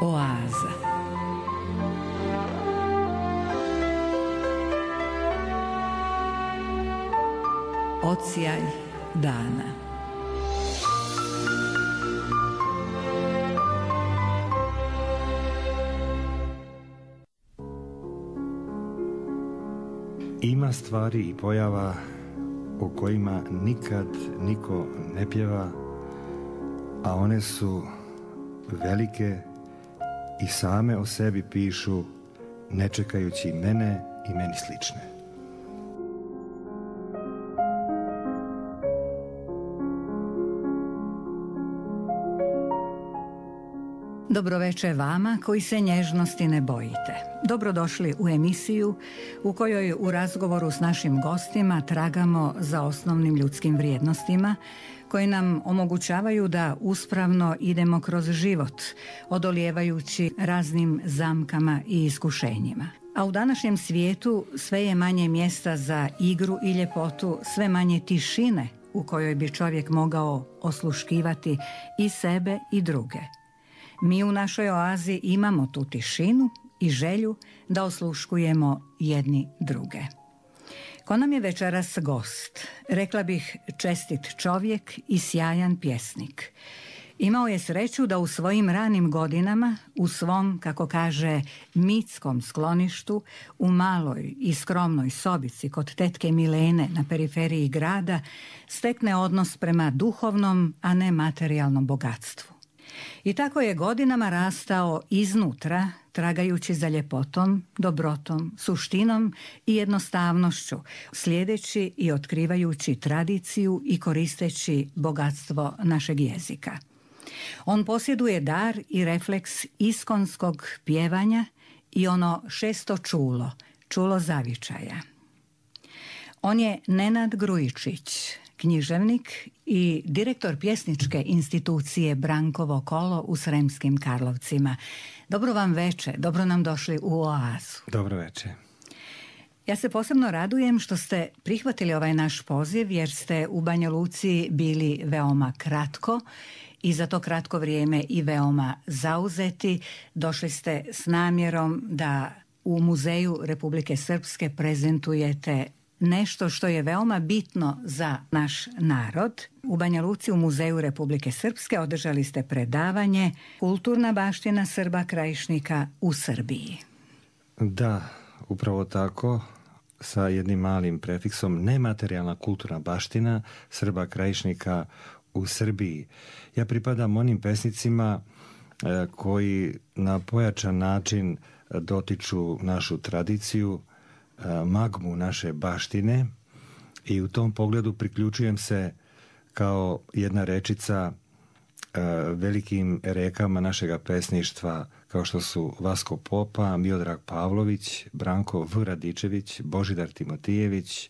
Oaza. Odsjaj dana. Ima stvari i pojava o kojima nikad niko ne pjeva, a one su velike i same o sebi pišu, ne čekajući mene i meni slične. Dobroveče vama koji se nježnosti ne bojite. Dobrodošli u emisiju u kojoj u razgovoru s našim gostima tragamo za osnovnim ljudskim vrijednostima koje nam omogućavaju da uspravno idemo kroz život, odolijevajući raznim zamkama i iskušenjima. A u današnjem svijetu sve je manje mjesta za igru i ljepotu, sve manje tišine u kojoj bi čovjek mogao osluškivati i sebe i druge. Mi u našoj oazi imamo tu tišinu i želju da osluškujemo jedni druge. Ko nam je večeras gost, rekla bih čestit čovjek i sjajan pjesnik. Imao je sreću da u svojim ranim godinama, u svom, kako kaže, mitskom skloništu, u maloj i skromnoj sobici kod tetke Milene na periferiji grada, stekne odnos prema duhovnom, a ne materijalnom bogatstvu. I tako je godinama rastao iznutra, tragajući za ljepotom, dobrotom, suštinom i jednostavnošću, slijedeći i otkrivajući tradiciju i koristeći bogatstvo našeg jezika. On posjeduje dar i refleks iskonskog pjevanja i ono šesto čulo, čulo zavičaja. On je Nenad Grujičić, književnik i direktor pjesničke institucije Brankovo kolo u Sremskim Karlovcima. Dobro vam veče, dobro nam došli u oazu. Dobro veče. Ja se posebno radujem što ste prihvatili ovaj naš poziv jer ste u Banja Luci bili veoma kratko i za to kratko vrijeme i veoma zauzeti. Došli ste s namjerom da u Muzeju Republike Srpske prezentujete nešto što je veoma bitno za naš narod. U Banja Luci u Muzeju Republike Srpske održali ste predavanje Kulturna baština Srba Krajišnika u Srbiji. Da, upravo tako, sa jednim malim prefiksom, nematerijalna kulturna baština Srba Krajišnika u Srbiji. Ja pripadam onim pesnicima koji na pojačan način dotiču našu tradiciju, magmu naše baštine i u tom pogledu priključujem se kao jedna rečica velikim rekama našega pesništva kao što su Vasko Popa, Miodrag Pavlović, Branko V. Radičević, Božidar Timotijević,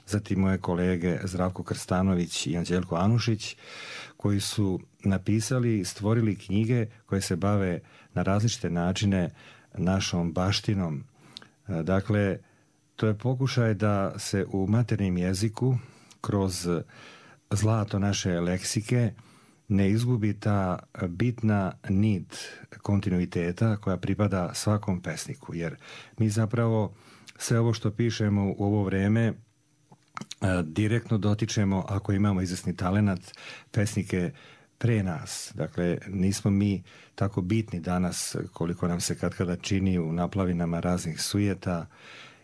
zatim moje kolege Zdravko Krstanović i Anđelko Anušić, koji su napisali i stvorili knjige koje se bave na različite načine našom baštinom. Dakle, to je pokušaj da se u maternjem jeziku kroz zlato naše leksike ne izgubi ta bitna nit kontinuiteta koja pripada svakom pesniku. Jer mi zapravo sve ovo što pišemo u ovo vrijeme direktno dotičemo, ako imamo izvesni talenat, pesnike pre nas. Dakle, nismo mi tako bitni danas koliko nam se katkada čini u naplavinama raznih sujeta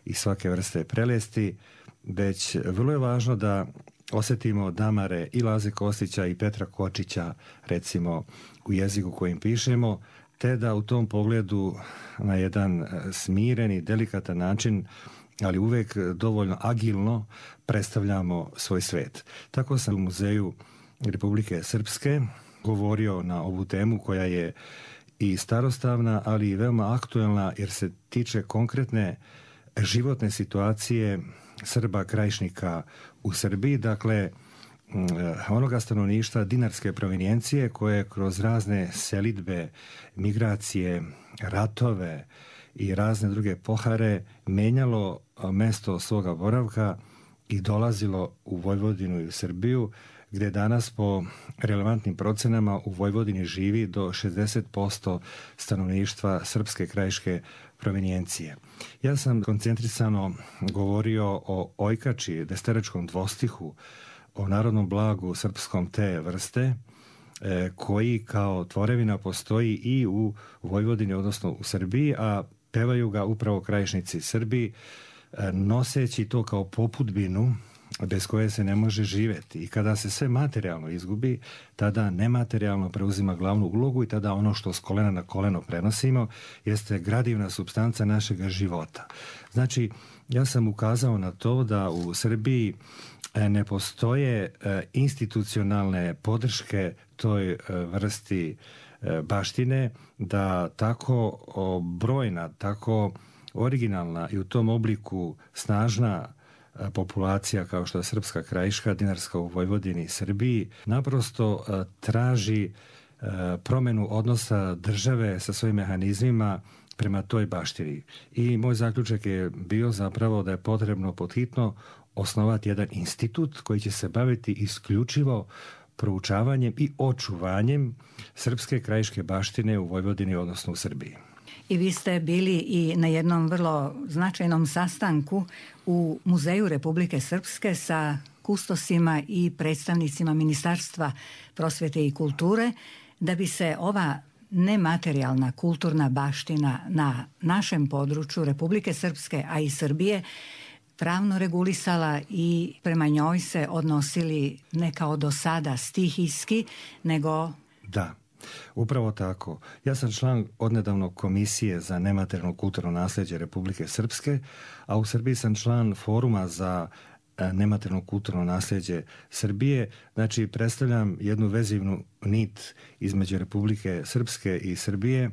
i svake vrste prelesti, već vrlo je važno da osjetimo damare i Laze Kostića i Petra Kočića, recimo, u jeziku kojim pišemo, te da u tom pogledu na jedan smiren i delikatan način, ali uvek dovoljno agilno predstavljamo svoj svet. Tako sam u Muzeju Republike Srpske govorio na ovu temu koja je i starostavna, ali i veoma aktuelna jer se tiče konkretne životne situacije Srba Krajišnika u Srbiji, dakle onoga stanovništva dinarske provenijencije koje kroz razne selidbe, migracije, ratove i razne druge pohare menjalo mesto svoga boravka i dolazilo u Vojvodinu i u Srbiju gdje danas po relevantnim procenama u Vojvodini živi do 60% stanovništva srpske krajiške provenijencije. Ja sam koncentrisano govorio o ojkači, desterečkom dvostihu, o narodnom blagu srpskom te vrste, koji kao tvorevina postoji i u Vojvodini, odnosno u Srbiji, a pevaju ga upravo krajišnici Srbi, noseći to kao popudbinu bez koje se ne može živjeti. I kada se sve materijalno izgubi, tada nematerijalno preuzima glavnu ulogu i tada ono što s kolena na koleno prenosimo jeste gradivna supstanca našega života. Znači, ja sam ukazao na to da u Srbiji ne postoje institucionalne podrške toj vrsti baštine, da tako brojna, tako originalna i u tom obliku snažna populacija kao što je srpska krajiška, dinarska u Vojvodini i Srbiji, naprosto traži promjenu odnosa države sa svojim mehanizmima prema toj baštini. I moj zaključak je bio zapravo da je potrebno podhitno osnovati jedan institut koji će se baviti isključivo proučavanjem i očuvanjem srpske krajiške baštine u Vojvodini, odnosno u Srbiji. I vi ste bili i na jednom vrlo značajnom sastanku u Muzeju Republike Srpske sa kustosima i predstavnicima Ministarstva prosvjete i kulture, da bi se ova nematerijalna kulturna baština na našem području Republike Srpske, a i Srbije, pravno regulisala i prema njoj se odnosili ne kao do sada stihijski, nego... Da, upravo tako. Ja sam član odnedavnog Komisije za nematerijalno kulturno nasljeđe Republike Srpske, a u Srbiji sam član Foruma za nematerijalno kulturno nasljeđe Srbije. Znači, predstavljam jednu vezivnu nit između Republike Srpske i Srbije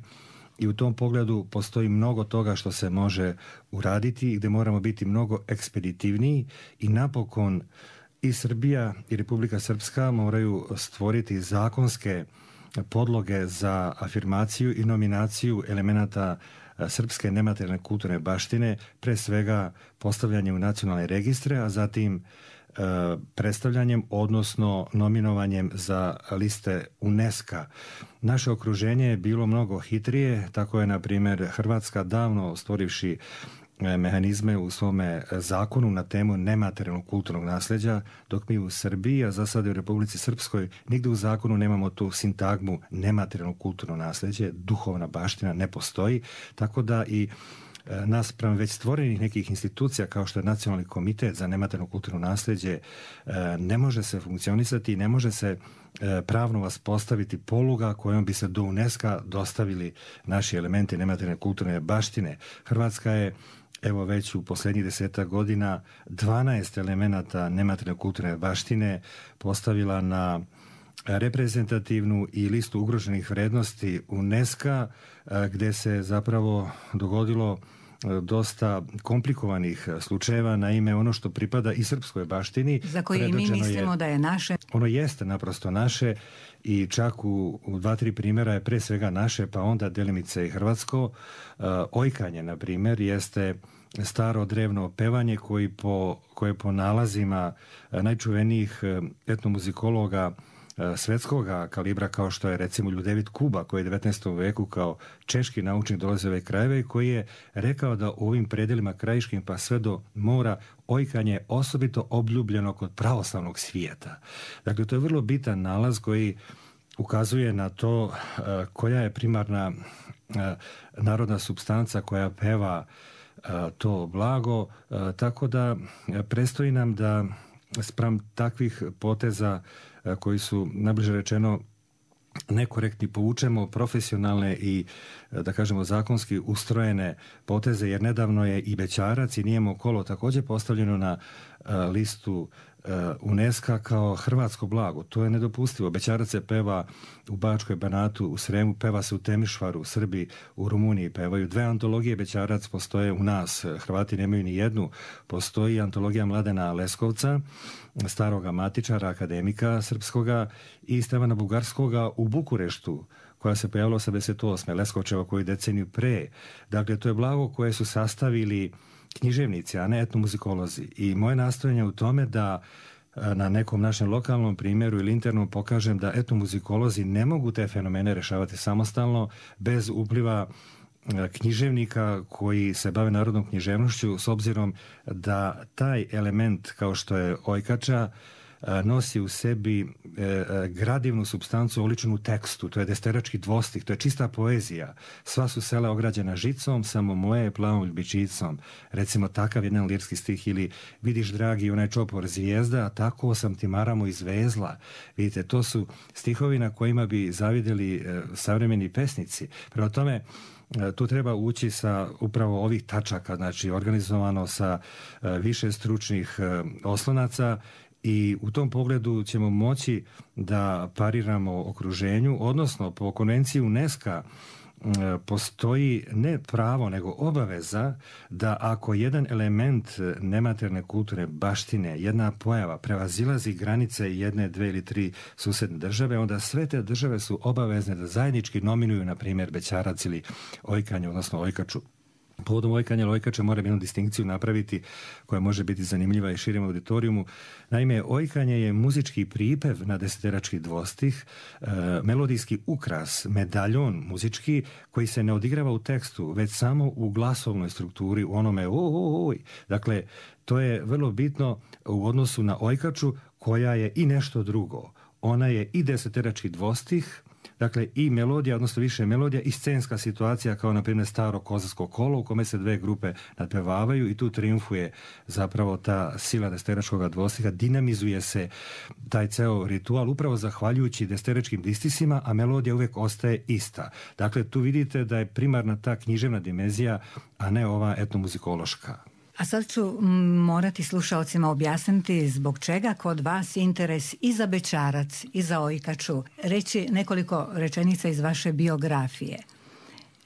i u tom pogledu postoji mnogo toga što se može uraditi i gdje moramo biti mnogo ekspeditivniji i napokon i Srbija i Republika Srpska moraju stvoriti zakonske podloge za afirmaciju i nominaciju elemenata srpske nematerijalne kulturne baštine, pre svega postavljanjem u nacionalne registre, a zatim predstavljanjem, odnosno nominovanjem za liste UNESCO. Naše okruženje je bilo mnogo hitrije, tako je, na primjer, Hrvatska davno stvorivši mehanizme u svome zakonu na temu nematerijalnog kulturnog nasljeđa, dok mi u Srbiji, a za sad u Republici Srpskoj, nigde u zakonu nemamo tu sintagmu nematerijalnog kulturno nasljeđe, duhovna baština ne postoji, tako da i naspram već stvorenih nekih institucija kao što je Nacionalni komitet za nematerijalno kulturno nasljeđe ne može se funkcionisati i ne može se pravno vaspostaviti poluga kojom bi se do UNESCO dostavili naši elementi nematerijalne kulturne baštine. Hrvatska je evo već u posljednjih 10 godina 12 elemenata nematerijalne kulturne baštine postavila na reprezentativnu i listu ugroženih vrijednosti UNESCO, gdje se zapravo dogodilo dosta komplikovanih slučajeva. Naime, ono što pripada i srpskoj baštini, za koje i mi mislimo da je naše. Ono jeste naprosto naše i čak u 2-3 primjera je pre svega naše, pa onda delimice i hrvatsko. Ojkanje, na primjer, jeste staro drevno pevanje koje po nalazima najčuvenijih etnomuzikologa svetskoga kalibra, kao što je recimo Ljudevit Kuba, koji je 19. veku kao češki naučnik dolazio u ove krajeve i koji je rekao da u ovim predelima krajiškim pa sve do mora ojkanje je osobito obljubljeno kod pravoslavnog svijeta. Dakle, to je vrlo bitan nalaz koji ukazuje na to koja je primarna narodna supstanca koja peva to blago, tako da predstoji nam da spram takvih poteza koji su, najbliže rečeno, nekorektni, povučemo profesionalne i, da kažemo, zakonski ustrojene poteze, jer nedavno je i Bećarac i Nijemo kolo također postavljeno na listu UNESCO kao hrvatsko blago. To je nedopustivo. Bećarac se peva u Bačkoj, Banatu, u Sremu, peva se u Temišvaru, u Srbiji, u Rumuniji pevaju. 2 antologije Bećarac postoje u nas. Hrvati nemaju ni jednu. Postoji antologija Mladena Leskovca, staroga matičara, akademika srpskoga, i Stevana Bugarskoga u Bukureštu, koja se pojavila 88. Leskovčeva koju deceniju pre. Dakle, to je blago koje su sastavili književnici, a ne etnomuzikolozi. I moje nastojanje u tome da na nekom našem lokalnom primjeru ili internom pokažem da etnomuzikolozi ne mogu te fenomene rješavati samostalno bez upliva književnika koji se bave narodnom književnošću, s obzirom da taj element kao što je ojkača nosi u sebi gradivnu supstancu oličenu u tekstu. To je desterački dvostih, to je čista poezija. Sva su sela ograđena žicom, samo moje je plavom ljubičicom. Recimo takav jedan lirski stih, ili vidiš dragi onaj čopor zvijezda, a tako sam ti maramo izvezla. Vidite, to su stihovi na kojima bi zavidjeli savremeni pesnici. Prema tome, tu treba ući sa upravo ovih tačaka, znači organizovano sa više stručnih oslonaca, i u tom pogledu ćemo moći da pariramo okruženju, odnosno po konvenciji UNESCO postoji ne pravo nego obaveza da ako jedan element nematerne kulturne baštine, jedna pojava prevazilazi granice jedne, dve ili tri susedne države, onda sve te države su obavezne da zajednički nominuju, na primjer, bećarac ili ojkanje, odnosno ojkaču. Povodom ojkanja ili ojkača moram jednu distinkciju napraviti koja može biti zanimljiva i širem auditorijumu. Naime, ojkanje je muzički pripev na deseterački dvostih, melodijski ukras, medaljon muzički koji se ne odigrava u tekstu, već samo u glasovnoj strukturi, u onome oj. Dakle, to je vrlo bitno u odnosu na ojkaču koja je i nešto drugo. Ona je i deseterački dvostih, dakle i melodija, odnosno više melodija, i scenska situacija kao na primjer staro kozarsko kolo u kome se dve grupe nadpevavaju i tu triumfuje zapravo ta sila deseteračkog dvostiha, dinamizuje se taj ceo ritual upravo zahvaljujući deseteračkim distisima, a melodija uvijek ostaje ista. Dakle, tu vidite da je primarna ta književna dimenzija, a ne ova etnomuzikološka. A sad ću morati slušalcima objasniti zbog čega kod vas interes i za bećarac i za ojkaču. Reći nekoliko rečenica iz vaše biografije.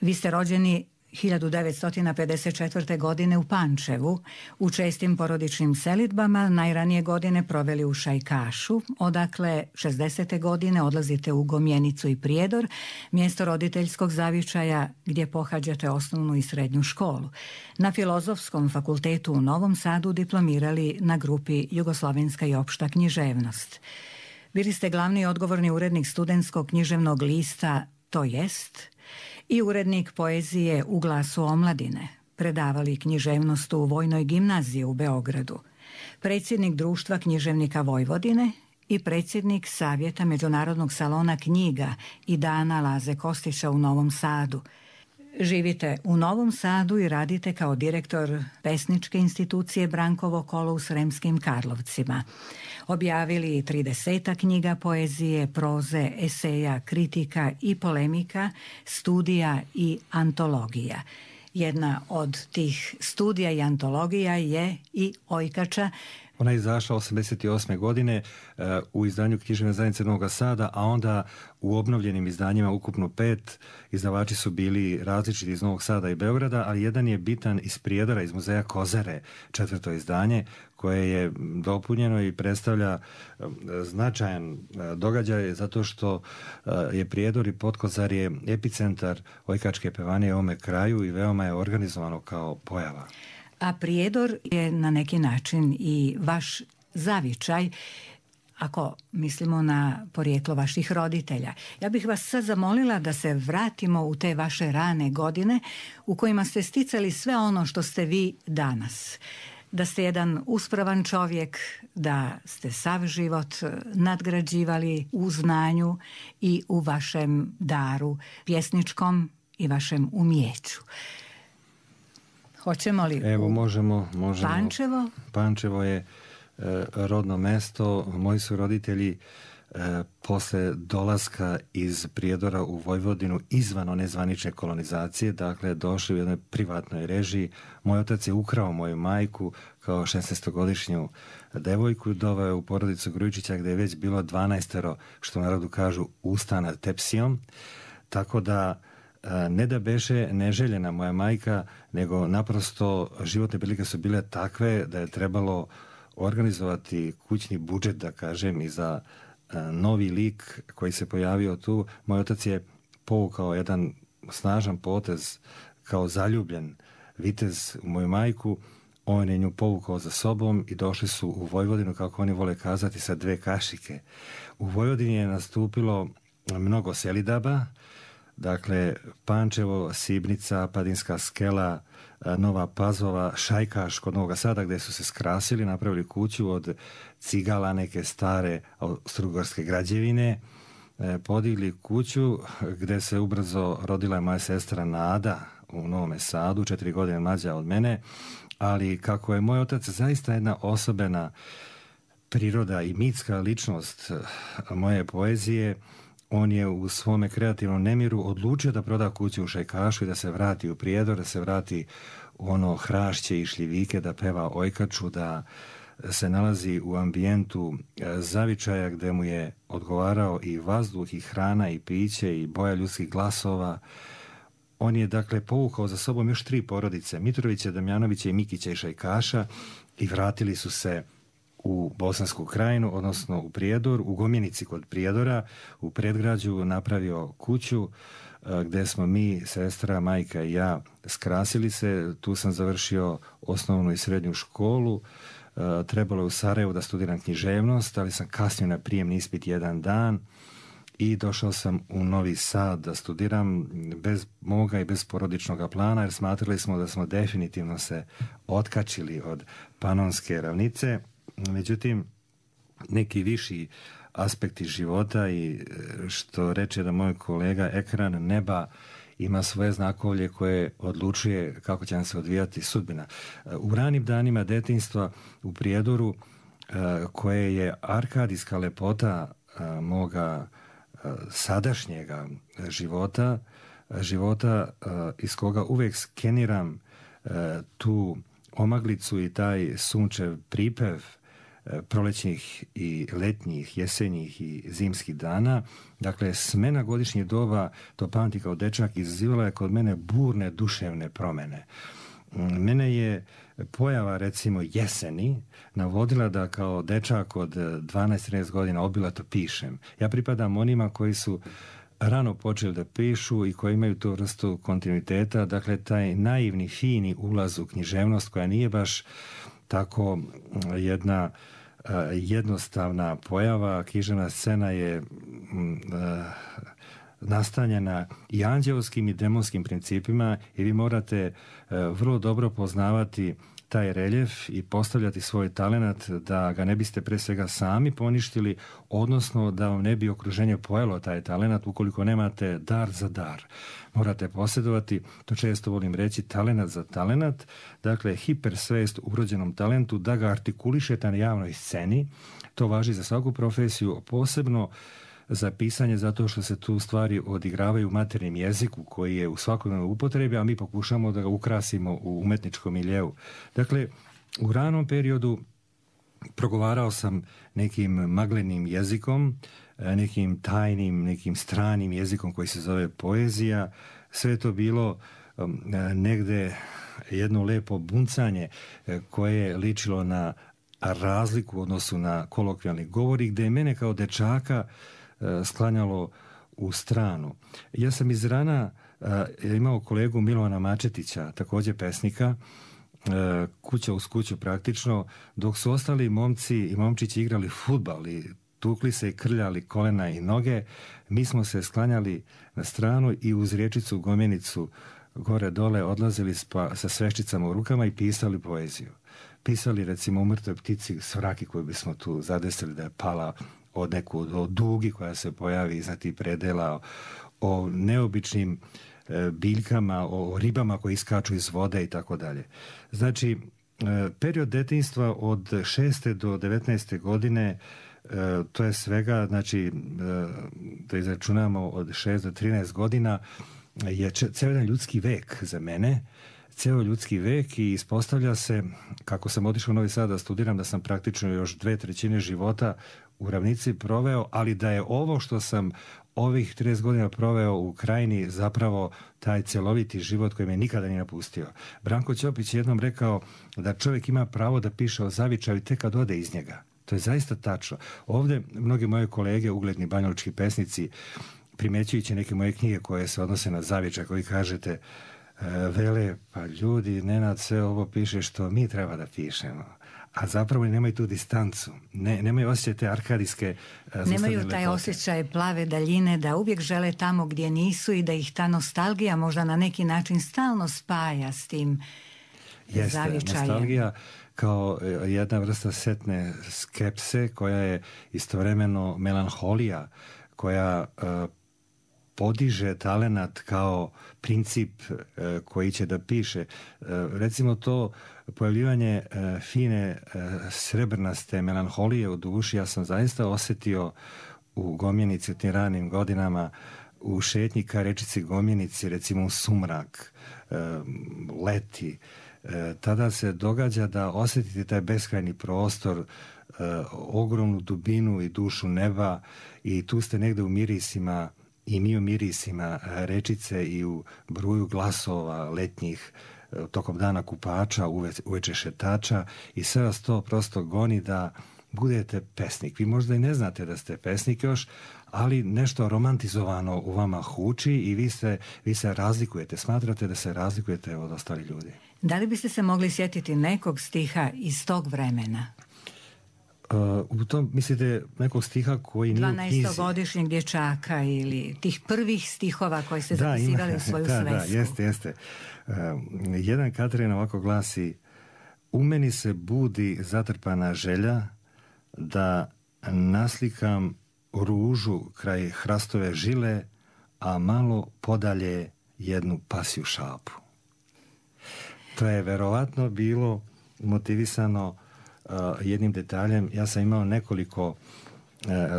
Vi ste rođeni 1954. godine u Pančevu, u čestim porodičnim selidbama, najranije godine proveli u Šajkašu, odakle 60. godine odlazite u Gomjenicu i Prijedor, mjesto roditeljskog zavičaja gdje pohađate osnovnu i srednju školu. Na Filozofskom fakultetu u Novom Sadu diplomirali na grupi Jugoslovenska i opšta književnost. Bili ste glavni i odgovorni urednik studentskog književnog lista To jest i urednik poezije u Glasu omladine, predavali književnost u Vojnoj gimnaziji u Beogradu, predsjednik Društva književnika Vojvodine i predsjednik Savjeta Međunarodnog salona knjiga i dana Laze Kostića u Novom Sadu. Živite u Novom Sadu i radite kao direktor pesničke institucije Brankovo kolo u Sremskim Karlovcima. Objavili 30 knjiga poezije, proze, eseja, kritika i polemika, studija i antologija. Jedna od tih studija i antologija je i Ojkača. Ona je izašla 1988. godine u izdanju Književne zajednice Novog Sada, a onda u obnovljenim izdanjima, ukupno 5, izdavači su bili različiti iz Novog Sada i Beograda, ali jedan je bitan iz Prijedora, iz muzeja Kozare, 4. izdanje, koje je dopunjeno i predstavlja značajan događaj zato što je Prijedor i Potkozarje epicentar ojkačke pevanije u ovome kraju i veoma je organizovano kao pojava. A Prijedor je na neki način i vaš zavičaj, ako mislimo na porijeklo vaših roditelja. Ja bih vas sad zamolila da se vratimo u te vaše rane godine u kojima ste sticali sve ono što ste vi danas. Da ste jedan uspravan čovjek, da ste sav život nadgrađivali u znanju i u vašem daru pjesničkom i vašem umijeću. Hoćemo li? Evo, možemo. Pančevo? Pančevo je rodno mesto. Moji su roditelji posle dolaska iz Prijedora u Vojvodinu izvan one zvanične kolonizacije, dakle došli u jednoj privatnoj režiji. Moj otac je ukrao moju majku kao 16-godišnju devojku, doveo je u porodicu Grujičića gdje je već bilo 12, što u narodu kažu, usta nad tepsijom. Tako da ne da beše neželjena moja majka, nego naprosto životne prilike su bile takve da je trebalo organizovati kućni budžet, da kažem, i za novi lik koji se pojavio tu. Moj otac je povukao jedan snažan potez kao zaljubljen vitez u moju majku. on je nju povukao za sobom i došli su u Vojvodinu, kako oni vole kazati, sa 2 kašike. U Vojvodini je nastupilo mnogo selidaba, dakle Pančevo, Sibnica, Padinska Skela, Nova Pazova, Šajkaš kod Novog Sada, gdje su se skrasili, napravili kuću od cigala, neke stare austrougarske građevine, podigli kuću gdje se ubrzo rodila moja sestra Nada u Novome Sadu, 4 godine mlađa od mene, ali kako je moj otac zaista jedna osobena priroda i mitska ličnost moje poezije, on je u svome kreativnom nemiru odlučio da proda kuću u Šajkašu i da se vrati u Prijedor, da se vrati u ono hrašće i šljivike, da peva ojkaču, da se nalazi u ambijentu zavičaja gdje mu je odgovarao i vazduh, i hrana, i piće, i boja ljudskih glasova. On je dakle povukao za sobom još 3 porodice, Mitrovića, Damjanovića i Mikića i Šajkaša, i vratili su se u Bosansku krajinu, odnosno u Prijedor, u Gomjenici kod Prijedora, u predgrađu napravio kuću gdje smo mi, sestra, majka i ja, skrasili se. Tu sam završio osnovnu i srednju školu. Trebalo je u Sarajevu da studiram književnost, ali sam kasnio na prijemni ispit 1 dan i došao sam u Novi Sad da studiram bez moga i bez porodičnog plana, jer smatrali smo da smo definitivno se otkačili od Panonske ravnice. Međutim, neki viši aspekti života i što reče da moj kolega, ekran neba ima svoje znakovlje koje odlučuje kako će nam se odvijati sudbina. U ranim danima detinjstva u Prijedoru, koje je arkadijska lepota moga sadašnjega života iz koga uvijek skeniram tu omaglicu i taj sunčev pripev prolećnih i letnjih, jesenjih i zimskih dana. Dakle, smena godišnjih doba, to pamti kao dečak, izazivala je kod mene burne duševne promjene. Mene je pojava, recimo, jeseni navodila da kao dečak od 12-13 godina obilato pišem. Ja pripadam onima koji su rano počeli da pišu i koji imaju tu vrstu kontinuiteta, dakle taj naivni, fini ulaz u književnost koja nije baš tako jedna jednostavna pojava. Književna scena je nastanjena i anđeoskim i demonskim principima i vi morate vrlo dobro poznavati taj reljef i postavljati svoj talenat da ga ne biste pre svega sami poništili, odnosno da vam ne bi okruženje pojelo taj talenat ukoliko nemate dar za dar. Morate posjedovati, to često volim reći, talenat za talenat, dakle hipersvest u urođenom talentu, da ga artikulišete na javnoj sceni. To važi za svaku profesiju, posebno za pisanje, zato što se tu stvari odigravaju u maternjem jeziku koji je u svakodnevnoj upotrebi, a mi pokušamo da ga ukrasimo u umetničkom miljeu. Dakle, u ranom periodu progovarao sam nekim maglenim jezikom, nekim tajnim, nekim stranim jezikom koji se zove poezija. Sve je to bilo negde jedno lepo buncanje koje je ličilo na razliku u odnosu na kolokvijalni govor i gde je mene kao dečaka sklanjalo u stranu. Ja sam iz rana imao kolegu Milovana Mačetića, također pesnika, kuća uz kuću praktično, dok su ostali momci i momčići igrali fudbal i tukli se i krljali kolena i noge, mi smo se sklanjali na stranu i uz rječicu Gomjenicu gore dole odlazili sa sveščicama u rukama i pisali poeziju. Pisali recimo o mrtvoj ptici Svraki koju bismo tu zadesili da je pala od neku dugi koja se pojavi iznad tih predela, o neobičnim biljkama, o ribama koji iskaču iz vode i tako dalje. Znači, period detinjstva od 6. do 19. godine, to je svega, znači, da izračunamo od 6 do 13 godina, je cijel jedan ljudski vek za mene, cijel ljudski vek i ispostavlja se, kako sam otišao u Novi Sad da studiram, da sam praktično još 2/3 života u ravnici proveo, ali da je ovo što sam ovih 30 godina proveo u Krajini zapravo taj cjeloviti život koji me nikada nije napustio. Branko Ćopić je jednom rekao da čovjek ima pravo da piše o zavičaju tek kad ode iz njega. To je zaista tačno. Ovdje mnogi moje kolege, ugledni banjalučki pesnici, primjećujući neke moje knjige koje se odnose na zavičaj, koji kažete vele, pa ljudi, Nenad sve ovo piše što mi treba da pišemo. A zapravo nemaju tu distancu. Nemaju osjećaj te arkadijske nemaju taj osjećaj plave daljine, da uvijek žele tamo gdje nisu i da ih ta nostalgija možda na neki način stalno spaja s tim zavičajem. Jeste, nostalgija kao jedna vrsta setne skepse koja je istovremeno melanholija, koja podiže talenat kao princip koji će da piše. Recimo to pojavljivanje fine srebrnaste melanholije u duši, ja sam zaista osjetio u Gomjenici u tim ranim godinama, u šetnji ka rečici Gomjenici, recimo u sumrak, leti. Tada se događa da osjetite taj beskrajni prostor, ogromnu dubinu i dušu neba, i tu ste negde u mirisima, i mi u mirisima rečice i u bruju glasova letnjih tokom dana kupača, uveče šetača, i sve vas to prosto goni da budete pesnik. Vi možda i ne znate da ste pesnik još, ali nešto romantizovano u vama huči i vi se razlikujete, smatrate da se razlikujete od ostalih ljudi. Da li biste se mogli sjetiti nekog stiha iz tog vremena? U tom, mislite, nekog stiha koji nije u knjizi? 12-godišnjeg dječaka ili tih prvih stihova koji ste zapisivali u svoju svesku. Da, jeste. Jedan Katrin ovako glasi: u meni se budi zatrpana želja da naslikam ružu kraj hrastove žile, a malo podalje jednu pasju šapu. To je verovatno bilo motivisano jednim detaljem. Ja sam imao nekoliko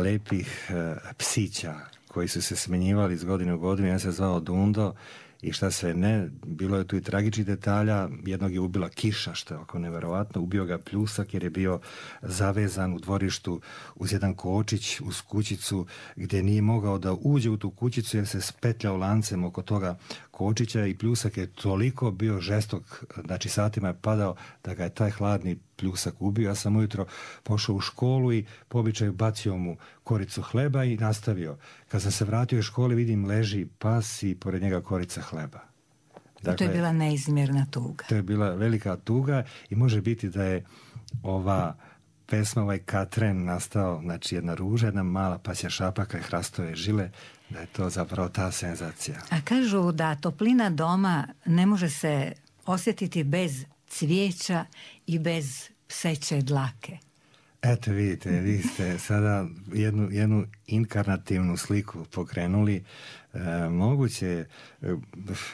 lepih psića koji su se smenjivali iz godine u godinu. Ja se zvao Dundo i šta sve ne. Bilo je tu i tragičnih detalja. Jednog je ubila kiša, što je oko neverovatno. Ubio ga pljusak jer je bio zavezan u dvorištu uz jedan kočić, uz kućicu, gdje nije mogao da uđe u tu kućicu jer se spetljao lancem oko toga kočića, i pljusak je toliko bio žestok, znači satima je padao, da ga je taj hladni pljusak ubio. Ja sam ujutro pošao u školu i po običaju bacio mu koricu hleba i nastavio. Kad sam se vratio iz škole, vidim leži pas i pored njega korica hleba. Dakle, to je bila neizmjerna tuga. To je bila velika tuga i može biti da je ova pesma, ovaj Katren nastao, znači jedna ruža, jedna mala pasja šapa kraj hrastove žile, da je to zapravo ta senzacija. A kažu da toplina doma ne može se osjetiti bez cvijeća i bez pseće dlake. Eto vidite, vi ste sada jednu inkarnativnu sliku pokrenuli. Moguće,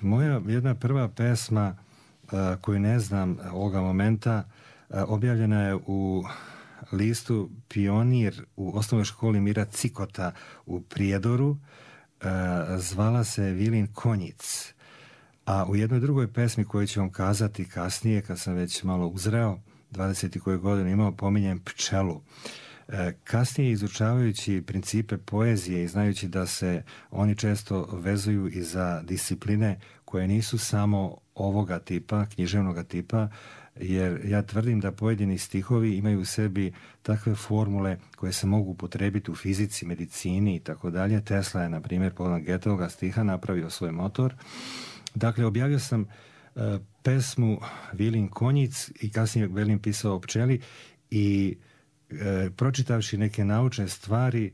moja jedna prva pesma koju ne znam ovoga momenta, objavljena je u listu Pionir u osnovnoj školi Mira Cikota u Prijedoru, zvala se Vilin Konjic. A u jednoj drugoj pesmi koju ću vam kazati kasnije, kad sam već malo uzreo, 20. koju godinu imao, pominjem pčelu. Kasnije, izučavajući principe poezije i znajući da se oni često vezuju i za discipline koje nisu samo ovoga tipa, književnoga tipa, jer ja tvrdim da pojedini stihovi imaju u sebi takve formule koje se mogu upotrebiti u fizici, medicini i tako dalje. Tesla je, na primjer, povodom Goetheoga stiha napravio svoj motor. Dakle, objavio sam pesmu Vilin Konjic i kasnije velim pisao o pčeli, i pročitavši neke naučne stvari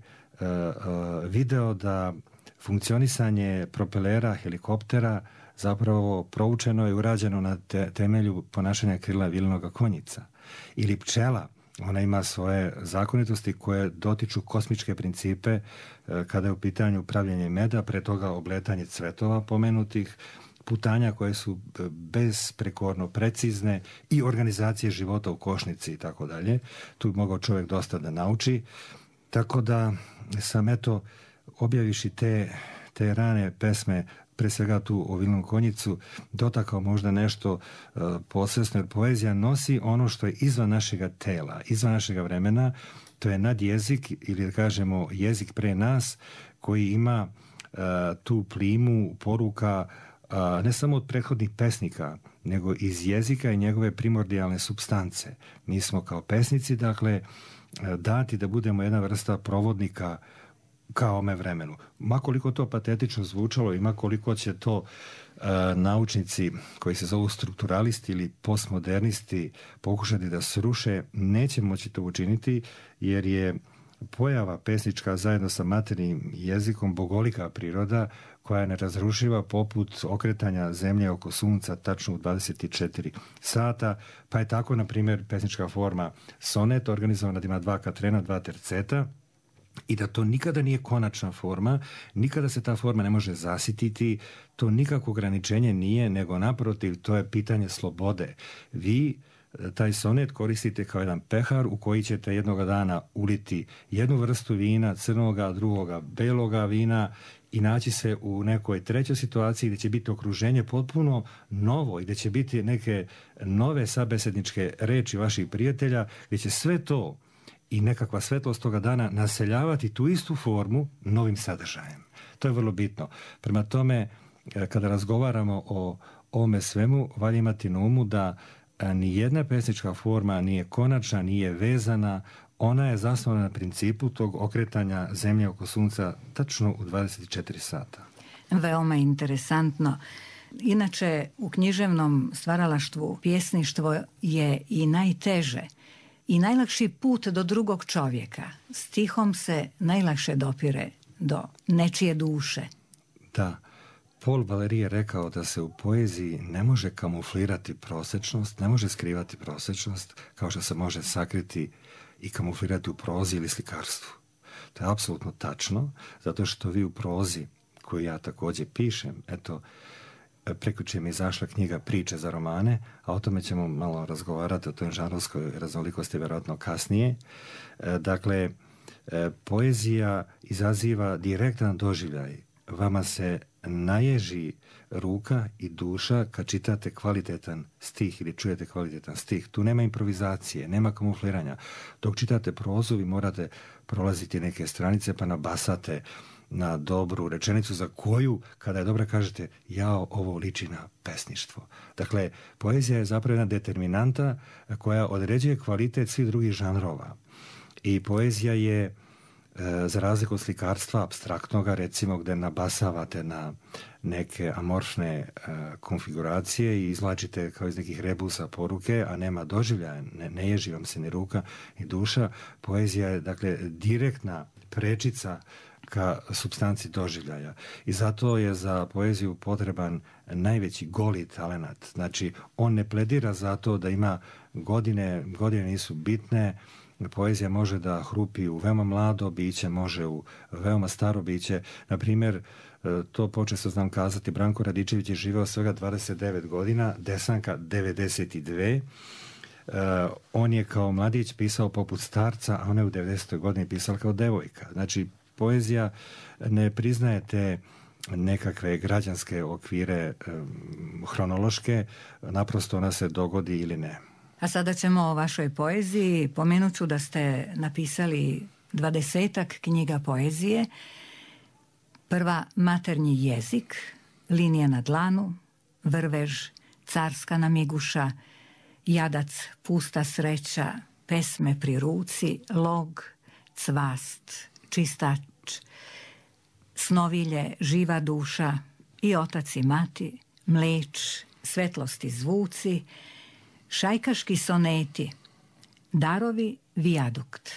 video da funkcionisanje propelera helikoptera zapravo proučeno i urađeno na temelju ponašanja krila Vilinoga konjica. Ili pčela, ona ima svoje zakonitosti koje dotiču kosmičke principe kada je u pitanju pravljenje meda, pre toga obletanje cvetova pomenutih, putanja koje su besprekorno precizne i organizacije života u košnici i tako dalje. Tu bi mogao čovjek dosta da nauči. Tako da sam, eto, objaviši te rane pesme, pre svega tu o Vilinom konjicu, dotakao možda nešto posvesno, jer poezija nosi ono što je izvan našega tela, izvan našega vremena. To je nadjezik, ili da kažemo jezik pre nas, koji ima tu plimu poruka ne samo od prethodnih pesnika, nego iz jezika i njegove primordijalne supstance. Mi smo kao pesnici, dakle, dati da budemo jedna vrsta provodnika kao ome vremenu. Makoliko to patetično zvučalo i makoliko će to naučnici koji se zovu strukturalisti ili postmodernisti pokušati da sruše, neće moći to učiniti jer je pojava pesnička zajedno sa maternjim jezikom bogolika priroda koja je nerazrušiva poput okretanja zemlje oko sunca tačno u 24 sata, pa je tako, na primjer, pesnička forma sonet organizovana da ima 2 katrena, 2 terceta, i da to nikada nije konačna forma, nikada se ta forma ne može zasititi, to nikakvo ograničenje nije, nego naprotiv, to je pitanje slobode. Vi taj sonet koristite kao jedan pehar u koji ćete jednoga dana uliti jednu vrstu vina, crnoga, drugoga, beloga vina i naći se u nekoj trećoj situaciji gdje će biti okruženje potpuno novo i gdje će biti neke nove sabesedničke reči vaših prijatelja, gdje će sve to i nekakva svetlost toga dana naseljavati tu istu formu novim sadržajem. To je vrlo bitno. Prema tome, kada razgovaramo o ovome svemu, valja imati na umu da ni jedna pesnička forma nije konačna, nije vezana, ona je zasnovana na principu tog okretanja zemlje oko sunca tačno u 24 sata. Veoma interesantno. Inače, u književnom stvaralaštvu pjesništvo je i najteže i najlakši put do drugog čovjeka. Stihom se najlakše dopire do nečije duše. Da. Paul Valéry je rekao da se u poeziji ne može kamuflirati prosječnost, ne može skrivati prosječnost kao što se može sakriti i kamuflirati u prozi ili slikarstvu. To je apsolutno tačno, zato što vi u prozi, koju ja također pišem, eto, prekjučer mi je izašla knjiga Priče za romane, a o tome ćemo malo razgovarati, o toj žanrovskoj raznolikosti vjerojatno kasnije. Dakle, poezija izaziva direktan doživljaj. Vama se naježi ruka i duša kad čitate kvalitetan stih ili čujete kvalitetan stih. Tu nema improvizacije, nema kamufliranja. Dok čitate prozu, vi morate prolaziti neke stranice pa nabasate na dobru rečenicu za koju, kada je dobra, kažete jao, ovo liči na pesništvo. Dakle, poezija je zapravo jedna determinanta koja određuje kvalitet svih drugih žanrova. I poezija je, za razliku od slikarstva apstraktnoga, recimo, gdje nabasavate na neke amorfne konfiguracije i izvlačite kao iz nekih rebusa poruke, a nema doživljaja, ne ježi vam se ni ruka ni duša. Poezija je, dakle, direktna prečica ka supstanci doživljaja. I zato je za poeziju potreban najveći goli talenat. Znači, on ne pledira za to da ima godine nisu bitne. Poezija može da hrupi u veoma mlado biće, može u veoma staro biće. Na primjer, to počesto znam kazati, Branko Radičević je živeo svega 29 godina, Desanka 92. On je kao mladić pisao poput starca, a ona je u 90. godini pisala kao devojka. Znači, poezija ne priznaje te nekakve građanske okvire hronološke, naprosto ona se dogodi ili ne. A sada ćemo o vašoj poeziji. Pomenut ću da ste napisali 20-ak knjiga poezije. Prva Maternji jezik, Linija na dlanu, Vrvež, Carska namiguša, Jadac, Pusta sreća, Pesme pri ruci, Log, Cvast, Čistač, Snovilje, Živa duša i Otac i mati, Mleč, Svetlosti zvuci, Šajkaški soneti, Darovi, Vijadukt.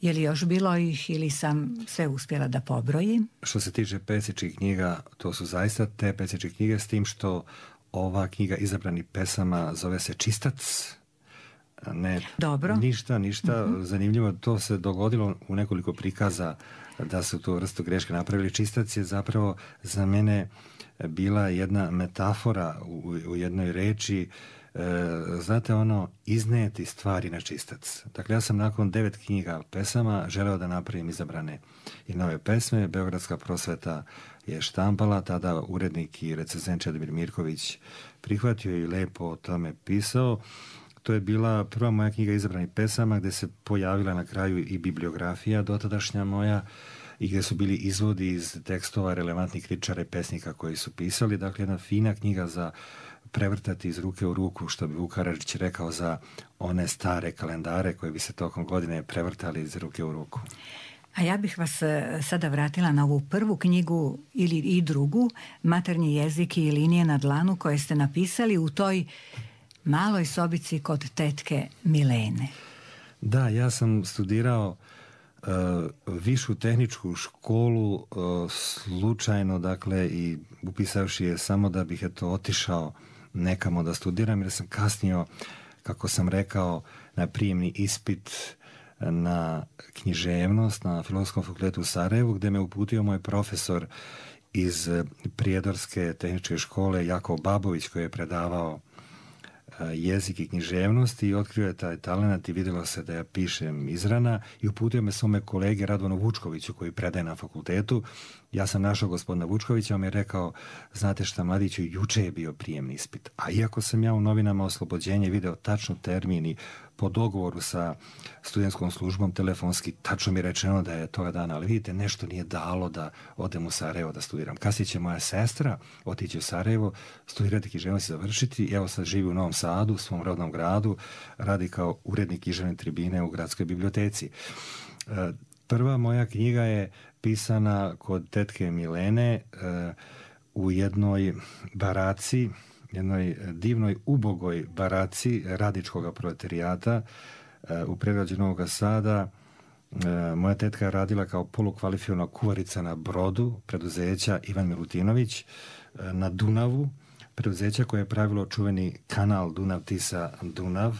Je li još bilo ih ili sam sve uspjela da pobrojim? Što se tiče pesničkih knjiga, to su zaista te pesničke knjige, s tim što ova knjiga izabranih pesama zove se Čistac. Ne, dobro. Ništa. Zanimljivo, to se dogodilo u nekoliko prikaza da su tu vrstu greške napravili. Čistac je zapravo za mene bila jedna metafora u jednoj reči, znate ono, izneti stvari na čistac. Dakle, ja sam nakon 9 knjiga pesama želeo da napravim izabrane i nove pesme. Beogradska prosveta je štampala, tada urednik i recenzent Čedomir Mirković prihvatio i lepo o tome pisao. To je bila prva moja knjiga izabranih pesama gdje se pojavila na kraju i bibliografija dotadašnja moja i gdje su bili izvodi iz tekstova relevantnih kritičara i pesnika koji su pisali. Dakle, jedna fina knjiga za prevrtati iz ruke u ruku, što bi Vuk Karadžić rekao za one stare kalendare koji bi se tokom godine prevrtali iz ruke u ruku. A ja bih vas sada vratila na ovu prvu knjigu ili i drugu, Maternji jezik i linije na dlanu, koje ste napisali u toj maloj sobici kod tetke Milene. Da, ja sam studirao višu tehničku školu slučajno, dakle, i upisavši je samo da bih otišao nekamo da studiram, jer sam kasnio, kako sam rekao, na prijemni ispit na književnost na Filozofskom fakultetu u Sarajevu, gdje me uputio moj profesor iz Prijedorske tehničke škole Jakov Babović, koji je predavao jezik i književnost, i otkrio je taj talent i vidjelo se da ja pišem izrana, i uputio me svome kolege Radovanu Vučkoviću, koji predaje na fakultetu. Ja sam našao gospodina Vučkovića, on mi je rekao: znate šta, mladiću, juče je bio prijemni ispit. A iako sam ja u novinama Oslobođenje video tačno termin i po dogovoru sa studentskom službom telefonski tačno mi je rečeno da je toga dana, ali vidite, nešto nije dalo da odem u Sarajevo da studiram. Kasnije će moja sestra otići u Sarajevo, studirati književnost i završiti. Evo sad živi u Novom Sadu, u svom rodnom gradu, radi kao urednik književne tribine u gradskoj biblioteci. Prva moja knjiga je pisana kod tetke Milene u jednoj baraci, jednoj divnoj ubogoj baraci radničkog proletarijata u predgrađu Novog Sada. Moja tetka je radila kao polukvalifikovana kuvarica na brodu preduzeća Ivan Milutinović na Dunavu, preduzeća koje je pravilo čuveni kanal Dunav-Tisa-Dunav.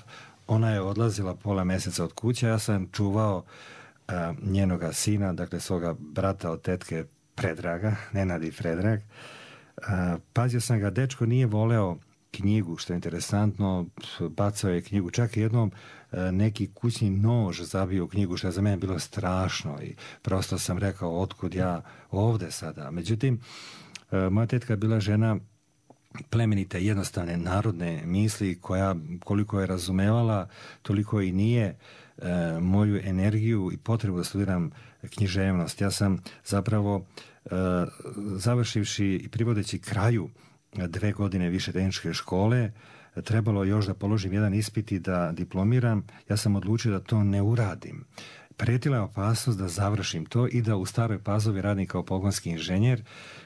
Ona je odlazila pola mjeseca od kuće, ja sam čuvao njenoga sina, dakle svoga brata od tetke Predraga, Nenad i Predrag. Pazio sam ga, dečko nije voleo knjigu, što je interesantno, bacao je knjigu, čak i jednom neki kućni nož zabio u knjigu, što je za mene bilo strašno, i prosto sam rekao: otkud ja ovde sada? Međutim, moja tetka je bila žena plemenite, jednostavne, narodne misli, koja, koliko je razumevala, toliko i nije moju energiju i potrebu da studiram književnost. Ja sam zapravo, završivši i privodeći kraju 2 godine više tehničke škole, trebalo još da položim jedan ispit i da diplomiram. Ja sam odlučio da to ne uradim. Prijetila je opasnost da završim to i da u Staroj Pazovi radim kao pogonski inženjer,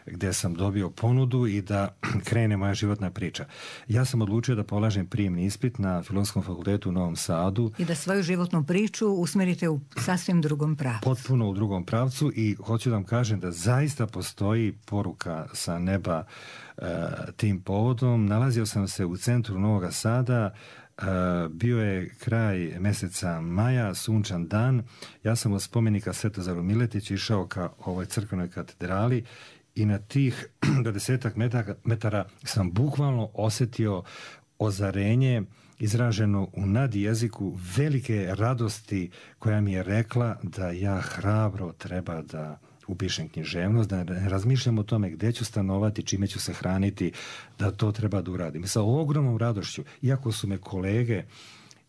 gdje sam dobio ponudu i da krene moja životna priča. Ja sam odlučio da polažem prijemni ispit na Filozofskom fakultetu u Novom Sadu. I da svoju životnu priču usmerite u sasvim drugom pravcu. Potpuno u drugom pravcu, i hoću da vam kažem da zaista postoji poruka sa neba tim povodom. Nalazio sam se u centru Novog Sada, bio je kraj mjeseca maja, sunčan dan. Ja sam od spomenika Svetozaru Miletiću išao ka ovoj crkvenoj katedrali i na tih 20 metara sam bukvalno osjetio ozarenje izraženo u nadjeziku velike radosti, koja mi je rekla da ja hrabro treba da upišem književnost, da ne razmišljam o tome gdje ću stanovati, čime ću se hraniti, da to treba da uradim. Sa ogromnom radošću, iako su me kolege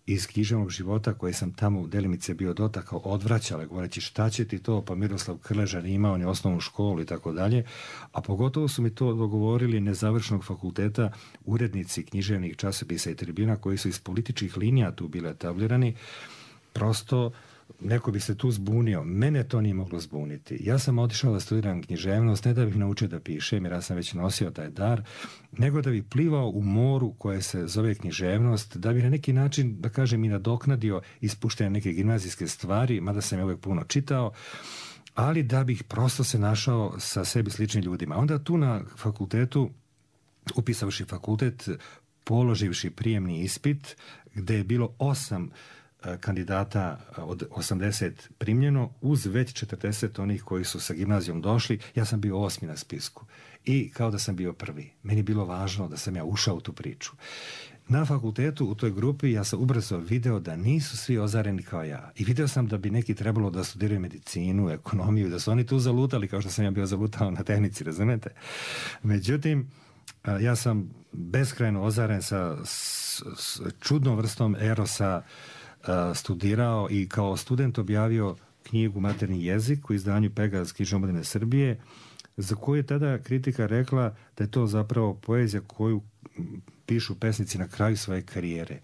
iz književnog života, koje sam tamo u delimice bio dotakao, odvraćale, govoreći: šta će ti to, pa Miroslav Krležar imao ni osnovnu školu i tako dalje, a pogotovo su mi to dogovorili nezavršenog fakulteta urednici književnih časopisa i tribina, koji su iz političkih linija tu bile etablirani. Prosto neko bi se tu zbunio. Mene to nije moglo zbuniti. Ja sam otišao da studiram književnost, ne da bih naučio da pišem, jer ja sam već nosio taj dar, nego da bih plivao u moru koje se zove književnost, da bih na neki način, da kažem, i nadoknadio ispuštene neke gimnazijske stvari, mada sam je uvijek puno čitao, ali da bih prosto se našao sa sebi sličnim ljudima. Onda tu na fakultetu, upisavši fakultet, položivši prijemni ispit, gdje je bilo 8 kandidata od 80 primljeno, uz već 40 onih koji su sa gimnazijom došli, ja sam bio 8. na spisku. I kao da sam bio prvi. Meni je bilo važno da sam ja ušao u tu priču. Na fakultetu, u toj grupi, ja sam ubrzo video da nisu svi ozareni kao ja. I video sam da bi neki trebalo da studiraju medicinu, ekonomiju, da su oni tu zalutali kao što sam ja bio zalutao na tehnici, razumete? Međutim, ja sam beskrajno ozaren sa čudnom vrstom erosa, studirao i kao student objavio knjigu Maternji jezik u izdanju Pegaz knjižne omladine Srbije, za koju je tada kritika rekla da je to zapravo poezija koju pišu pesnici na kraju svoje karijere.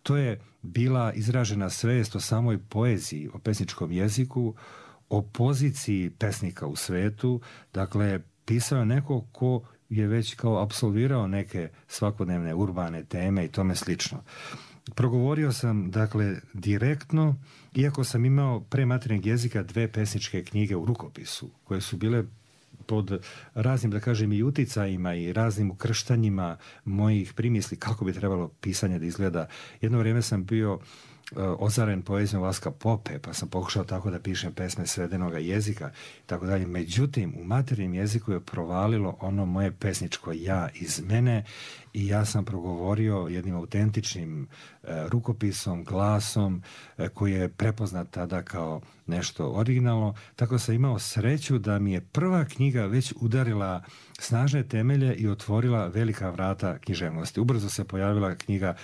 To je bila izražena svest o samoj poeziji, o pesničkom jeziku, o poziciji pesnika u svetu. Dakle, pisao je neko ko je već kao apsolvirao neke svakodnevne urbane teme i tome slično. Progovorio sam, dakle, direktno, iako sam imao pre materinjeg jezika 2 pesničke knjige u rukopisu, koje su bile pod raznim, da kažem, i uticajima i raznim ukrštanjima mojih primisli kako bi trebalo pisanje da izgleda. Jedno vrijeme sam bio ozaren poezijom Vaska Pope, pa sam pokušao tako da pišem pesme svedenoga jezika i tako dalje. Međutim, u materinjem jeziku je provalilo ono moje pesničko ja iz mene i ja sam progovorio jednim autentičnim rukopisom, glasom koji je prepoznat tada kao nešto originalno. Tako sam imao sreću da mi je prva knjiga već udarila snažne temelje i otvorila velika vrata književnosti. Ubrzo se pojavila knjiga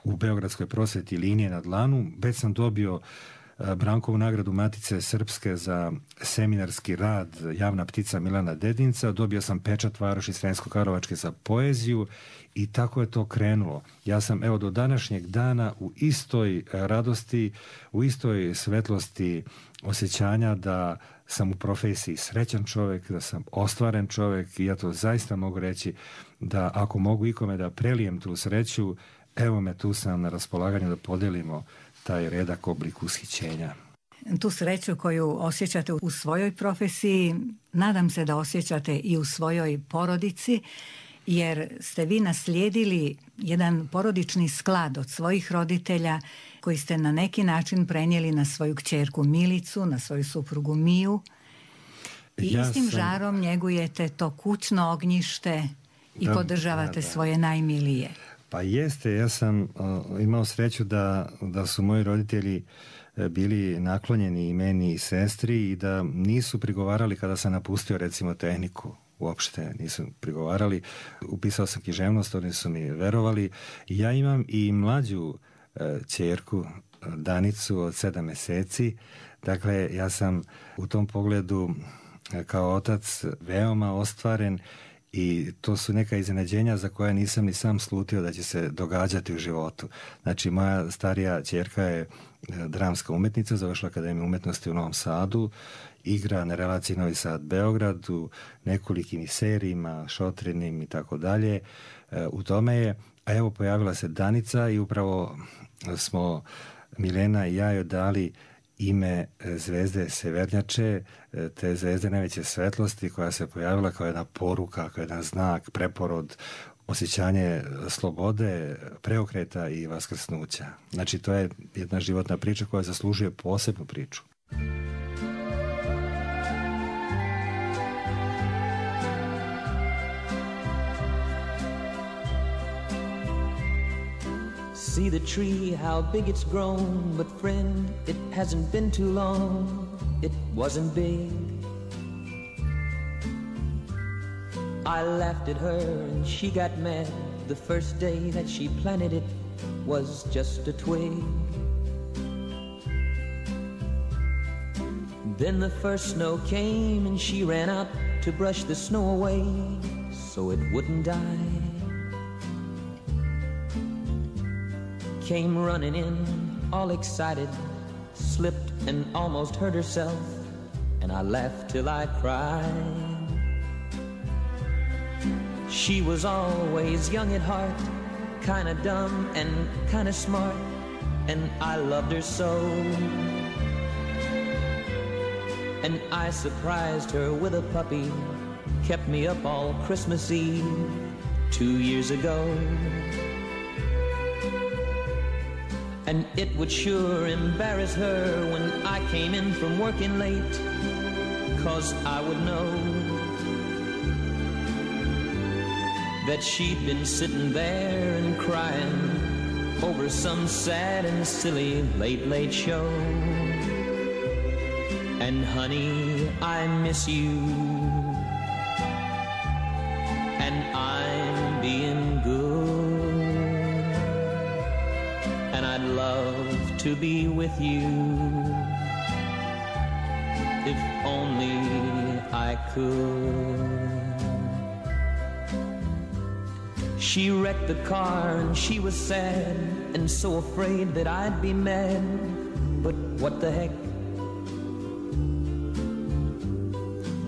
u Beogradskoj prosveti Linije na dlanu. Već sam dobio Brankovu nagradu Matice Srpske za seminarski rad Javna ptica Milana Dedinca. Dobio sam pečat Varoši Sremsko-Karlovačke za poeziju i tako je to krenulo. Ja sam, evo, do današnjeg dana u istoj radosti, u istoj svetlosti osjećanja da sam u profesiji srećan čovjek, da sam ostvaren čovjek i ja to zaista mogu reći da ako mogu ikome da prelijem tu sreću, evo me, tu sam na raspolaganju da podelimo taj redak oblik ushićenja. Tu sreću koju osjećate u svojoj profesiji, nadam se da osjećate i u svojoj porodici, jer ste vi naslijedili jedan porodični sklad od svojih roditelja koji ste na neki način prenijeli na svoju kćerku Milicu, na svoju suprugu Miju i istim žarom njegujete to kućno ognjište i podržavate svoje najmilije. Pa jeste, ja sam imao sreću da su moji roditelji bili naklonjeni i meni i sestri i da nisu prigovarali kada sam napustio recimo tehniku. Uopšte nisu prigovarali. Upisao sam književnost, oni su mi verovali. Ja imam i mlađu ćerku Danicu od 7 mjeseci. Dakle, ja sam u tom pogledu kao otac veoma ostvaren i to su neka iznenađenja za koja nisam ni sam slutio da će se događati u životu. Znači, moja starija ćerka je dramska umetnica, završila Akademiju umjetnosti u Novom Sadu, igra na relaciji Novi Sad-Beograd u nekolikim serijima, šotrinim i tako dalje. U tome je, a evo pojavila se Danica i upravo smo Milena i ja joj dali ime zvezde Severnjače, te zvezde najveće svetlosti koja se pojavila kao jedna poruka, kao jedan znak, preporod, osjećanje slobode, preokreta i vaskrsnuća. Znači, to je jedna životna priča koja zaslužuje posebnu priču. See the tree, how big it's grown, but friend, it hasn't been too long, it wasn't big. I laughed at her and she got mad. The first day that she planted it was just a twig. Then the first snow came and she ran out to brush the snow away so it wouldn't die. Came running in, all excited, slipped and almost hurt herself, and I laughed till I cried. She was always young at heart, kinda dumb and kinda smart, and I loved her so. And I surprised her with a puppy, kept me up all Christmas Eve 2 years ago. And it would sure embarrass her when I came in from working late, 'cause I would know that she'd been sitting there and crying over some sad and silly late show. And honey, I miss you, and I'm being good, and I'd love to be with you if only I could. She wrecked the car and she was sad and so afraid that I'd be mad, but what the heck,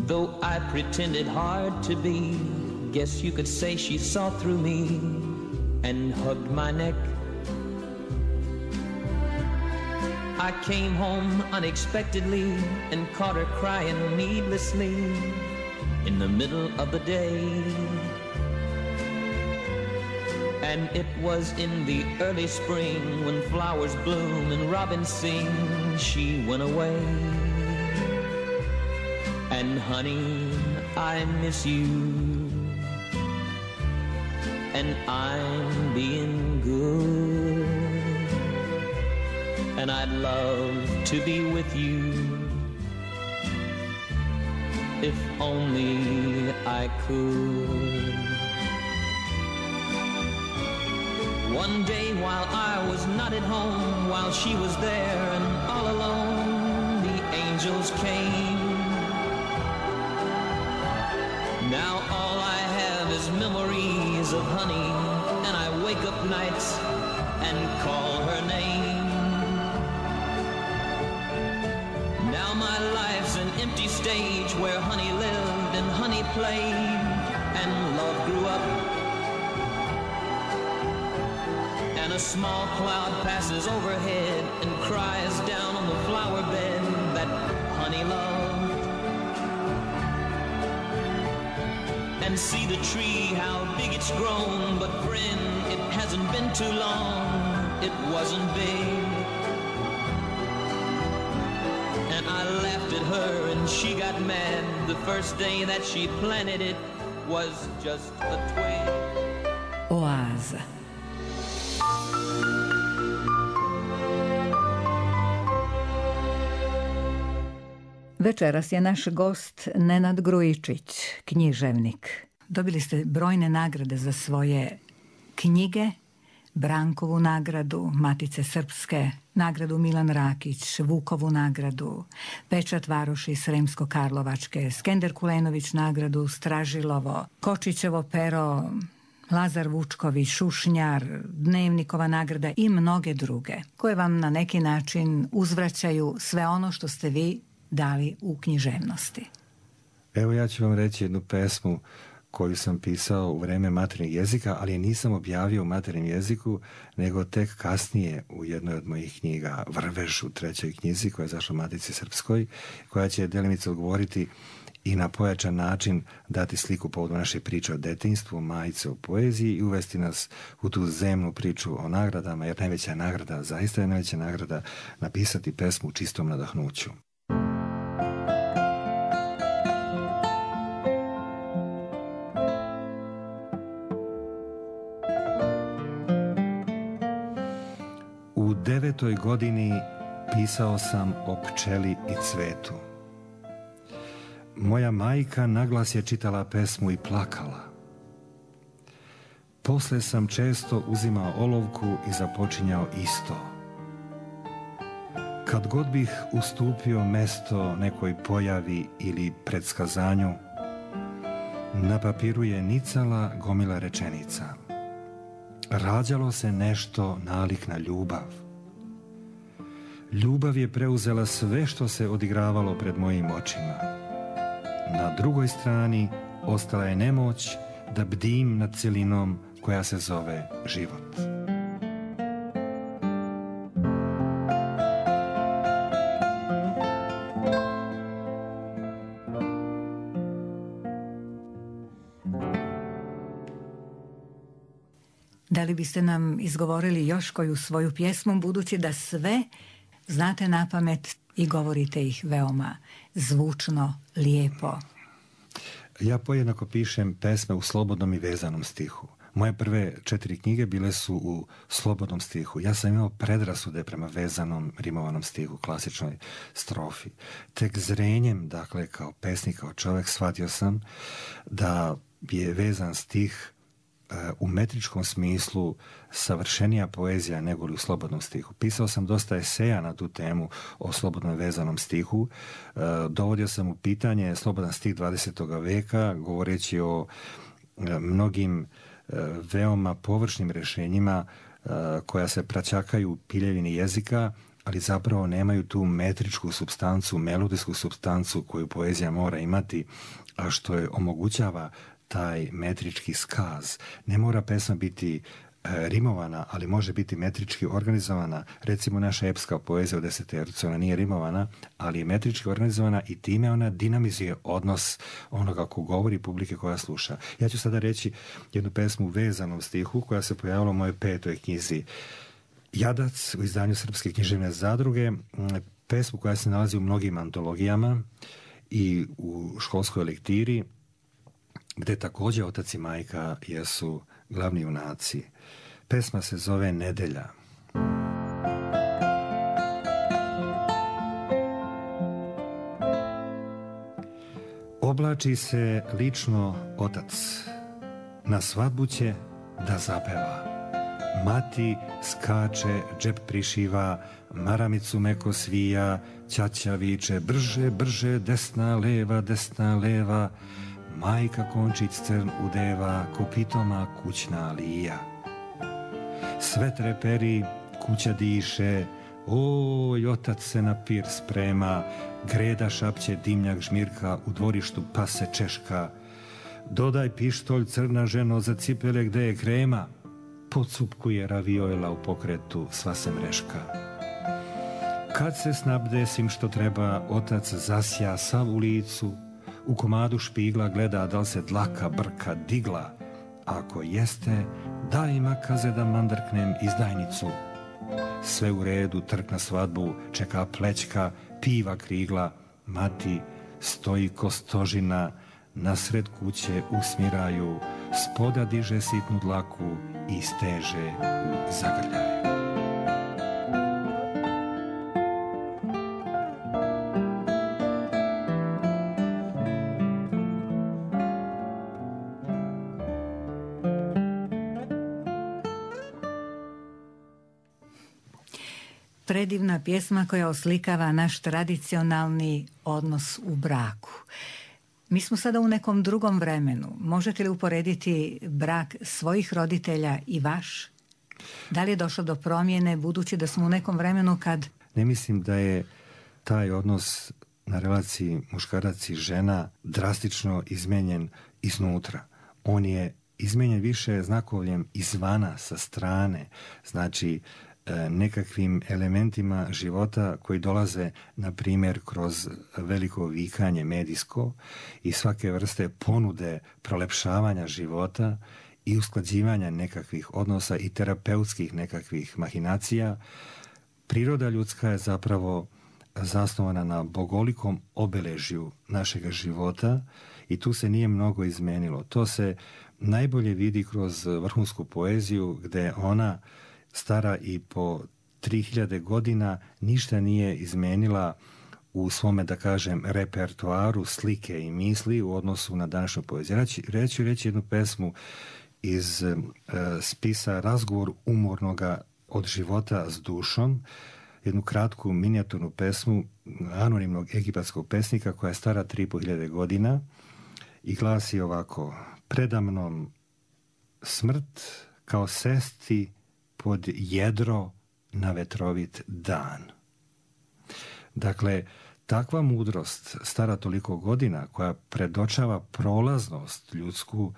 Though I pretended hard to be, guess you could say she saw through me and hugged my neck. I came home unexpectedly and caught her crying needlessly in the middle of the day. And it was in the early spring when flowers bloom and robins sing, she went away. And honey, I miss you, and I'm being good, and I'd love to be with you if only I could. One day while I was not at home, while she was there and all alone, the angels came. Now all I have is memories of honey, and I wake up nights and call her name. Now my life's an empty stage where honey lived and honey played and love grew up. And a small cloud passes overhead and cries down on the flower bed that honey loved. And see the tree, how big it's grown, but friend, it hasn't been too long, it wasn't big. And I laughed at her and she got mad. The first day that she planted it was just a twig. Oaza. Večeras je naš gost Nenad Grujičić, književnik. Dobili ste brojne nagrade za svoje knjige, Brankovu nagradu, Matice Srpske, nagradu Milan Rakić, Vukovu nagradu, Pečat Varoši Sremsko-Karlovačke, Skender Kulenović nagradu, Stražilovo, Kočićevo pero, Lazar Vučković, Šušnjar, Dnevnikova nagrada i mnoge druge, koje vam na neki način uzvraćaju sve ono što ste vi dali u književnosti. Evo ja ću vam reći jednu pesmu koju sam pisao u vreme materinjeg jezika, ali je nisam objavio u materinjem jeziku, nego tek kasnije u jednoj od mojih knjiga, Vrvež u 3. knjizi, koja je zašla u Matici Srpskoj, koja će delimice odgovoriti i na pojačan način dati sliku povodom naše priče o detinjstvu, majice o poeziji i uvesti nas u tu zemnu priču o nagradama, jer najveća nagrada, zaista je najveća nagrada, napisati pesmu u čistom nadahnuću. U 9. godini pisao sam o pčeli i cvetu. Moja majka naglas je čitala pesmu i plakala. Posle sam često uzimao olovku i započinjao isto. Kad god bih ustupio mesto nekoj pojavi ili predskazanju, na papiru je nicala gomila rečenica. Rađalo se nešto nalik na ljubav. Ljubav je preuzela sve što se odigravalo pred mojim očima. Na drugoj strani ostala je nemoć da bdim nad celinom koja se zove život. Da li biste nam izgovorili još koju svoju pjesmu, budući da sve znate napamet i govorite ih veoma zvučno, lijepo? Ja pojednako pišem pesme u slobodnom i vezanom stihu. Moje prve 4 knjige bile su u slobodnom stihu. Ja sam imao predrasude prema vezanom, rimovanom stihu, klasičnoj strofi. Tek zrenjem, dakle, kao pesnik, kao čovjek, shvatio sam da je vezan stih u metričkom smislu savršenija poezija nego li u slobodnom stihu. Pisao sam dosta eseja na tu temu o slobodnom vezanom stihu. Dovodio sam u pitanje slobodan stih 20. veka, govoreći o mnogim veoma površnim rješenjima koja se praćakaju u piljevini jezika, ali zapravo nemaju tu metričku supstancu, melodijsku supstancu koju poezija mora imati, a što je omogućava taj metrički skaz. Ne mora pesma biti rimovana, ali može biti metrički organizovana. Recimo naša epska poezija u 10 tercu, ona nije rimovana, ali je metrički organizovana i time ona dinamizuje odnos onoga ko govori publike koja sluša. Ja ću sada reći jednu pesmu u vezanom stihu koja se pojavila u mojoj 5. knjizi Jadac u izdanju Srpske književne zadruge, pesmu koja se nalazi u mnogim antologijama i u školskoj lektiri, gde također otac i majka jesu glavni junaci. Pesma se zove Nedelja. Oblači se lično otac, na svadbu će da zapeva. Mati skače, džep prišiva, maramicu meko svija, ćaća viče brže, brže, desna, leva, majka končić crn udeva, ko pitoma kućna lija. Sve treperi, kuća diše, oj, otac se na pir sprema, greda šapće, dimnjak žmirka, u dvorištu pase češka. Dodaj pištolj, crna ženo, za cipele gde je krema, pocupkuje raviola u pokretu, sva se mreška. Kad se snabde svim što treba, otac zasja sav u licu, u komadu špigla gleda da li se dlaka brka digla. Ako jeste, daj makaze da mandrknem izdajnicu. Sve u redu, trk na svadbu, čeka plećka, piva krigla. Mati stoji ko stožina, nasred kuće usmiraju, spoda diže sitnu dlaku i steže u zagrljaju. Predivna pjesma koja oslikava naš tradicionalni odnos u braku. Mi smo sada u nekom drugom vremenu. Možete li uporediti brak svojih roditelja i vaš? Da li je došlo do promjene, budući da smo u nekom vremenu kad... Ne mislim da je taj odnos na relaciji muškarac i žena drastično izmenjen iznutra. On je izmenjen više znakovljem izvana, sa strane. Znači, nekakvim elementima života koji dolaze, na primjer, kroz veliko vikanje medijsko i svake vrste ponude prolepšavanja života i usklađivanja nekakvih odnosa i terapeutskih nekakvih mahinacija. Priroda ljudska je zapravo zasnovana na bogolikom obeležju našega života i tu se nije mnogo izmenilo. To se najbolje vidi kroz vrhunsku poeziju, gde ona stara i po 3000 godina ništa nije izmenila u svome, da kažem, repertoaru slike i misli u odnosu na današnju poeziju. Reći jednu pesmu iz spisa Razgovor umornoga od života s dušom, jednu kratku minijaturnu pesmu anonimnog egipatskog pesnika koja je stara 3500 godina i glasi ovako: predamnom smrt kao sesti pod jedro na vetrovit dan. Dakle, takva mudrost stara toliko godina koja predočava prolaznost ljudsku,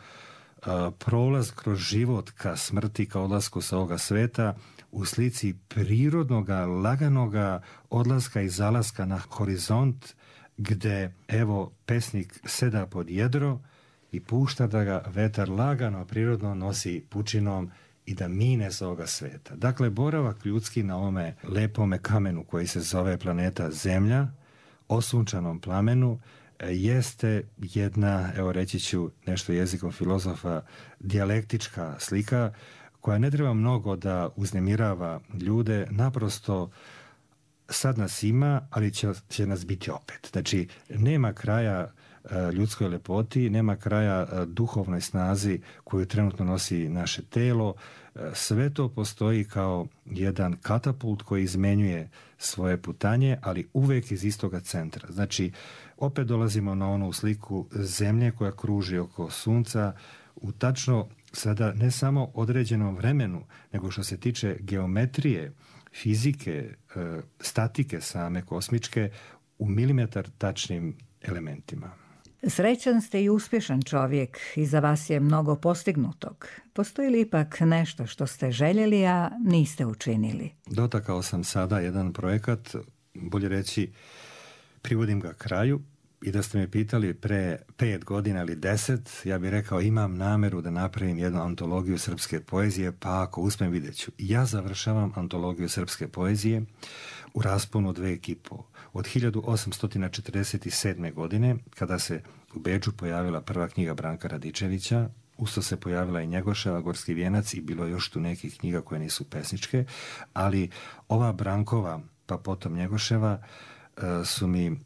prolaz kroz život ka smrti, ka odlasku sa ovoga sveta, u slici prirodnoga, laganoga odlaska i zalaska na horizont, gde, evo, pesnik seda pod jedro i pušta da ga vetar lagano, prirodno nosi pučinom i da mine sa ovoga sveta. Dakle, boravak ljudski na ovome lepome kamenu koji se zove planeta Zemlja, osunčanom plamenu, jeste jedna, evo reći ću nešto jezikom filozofa, dijalektička slika koja ne treba mnogo da uznemirava ljude, naprosto sad nas ima, ali će nas biti opet. Znači, nema kraja ljudskoj lepoti, nema kraja duhovnoj snazi koju trenutno nosi naše telo. Sve to postoji kao jedan katapult koji izmenjuje svoje putanje, ali uvek iz istoga centra. Znači, opet dolazimo na onu sliku zemlje koja kruži oko sunca u tačno sada ne samo određenom vremenu, nego što se tiče geometrije fizike, statike same kosmičke u milimetar tačnim elementima. Srećan ste i uspješan čovjek, iza vas je mnogo postignutog. Postoji li ipak nešto što ste željeli, a niste učinili? Dotakao sam sada jedan projekat, bolje reći, privodim ga kraju, i da ste me pitali pre 5 godina ili 10, ja bih rekao imam nameru da napravim jednu antologiju srpske poezije, pa ako uspijem vidjet ću. Ja završavam antologiju srpske poezije u rasponu 2,5. Od 1847. godine, kada se u Beču pojavila prva knjiga Branka Radičevića, usto se pojavila i Njegoševa, Gorski vijenac, i bilo još tu nekih knjiga koje nisu pesničke, ali ova Brankova, pa potom Njegoševa, su mi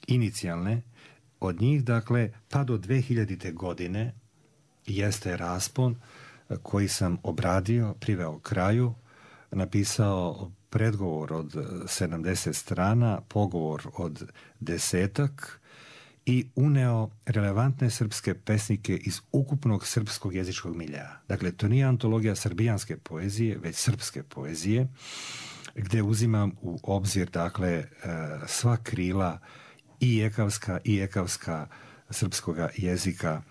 inicijalne. Od njih, dakle, pa do 2000. godine jeste raspon koji sam obradio, priveo kraju, napisao predgovor od 70 strana, pogovor od 10-ak i uneo relevantne srpske pesnike iz ukupnog srpskog jezičkog milja. Dakle, to nije antologija srbijanske poezije, već srpske poezije, gdje uzimam u obzir, dakle, sva krila i ekavska srpskoga jezika.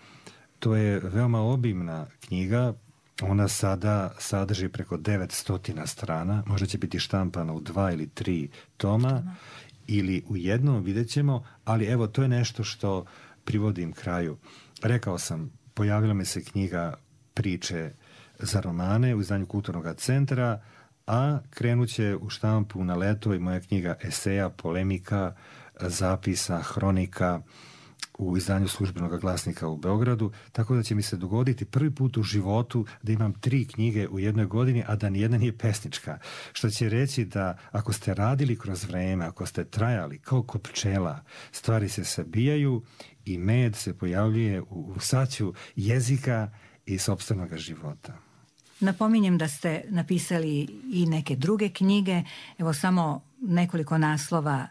To je veoma obimna knjiga. Ona sada sadrži preko 900 strana. Možda će biti štampana u 2 ili 3 toma ili u jednom, vidjet ćemo, ali evo, to je nešto što privodim kraju. Rekao sam, pojavila mi se knjiga Priče za romane u izdanju Kulturnog centra, a krenut će u štampu na leto i moja knjiga eseja, polemika, zapisa, hronika u izdanju Službenog glasnika u Beogradu, tako da će mi se dogoditi prvi put u životu da imam 3 knjige u jednoj godini, a da nijedna nije pesnička. Što će reći da ako ste radili kroz vreme, ako ste trajali kao kod pčela, stvari se sabijaju i med se pojavljuje u saću jezika i sopstvenog života. Napominjem da ste napisali i neke druge knjige, evo samo nekoliko naslova: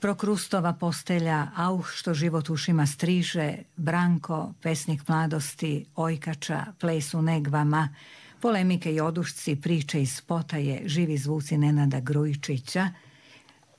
Prokrustova postelja, Auh što život ušima striže, Branko, pesnik mladosti, Ojkača, Ples u negvama, Polemike i odušci, Priče iz Potaje, Živi zvuci Nenada Grujičića,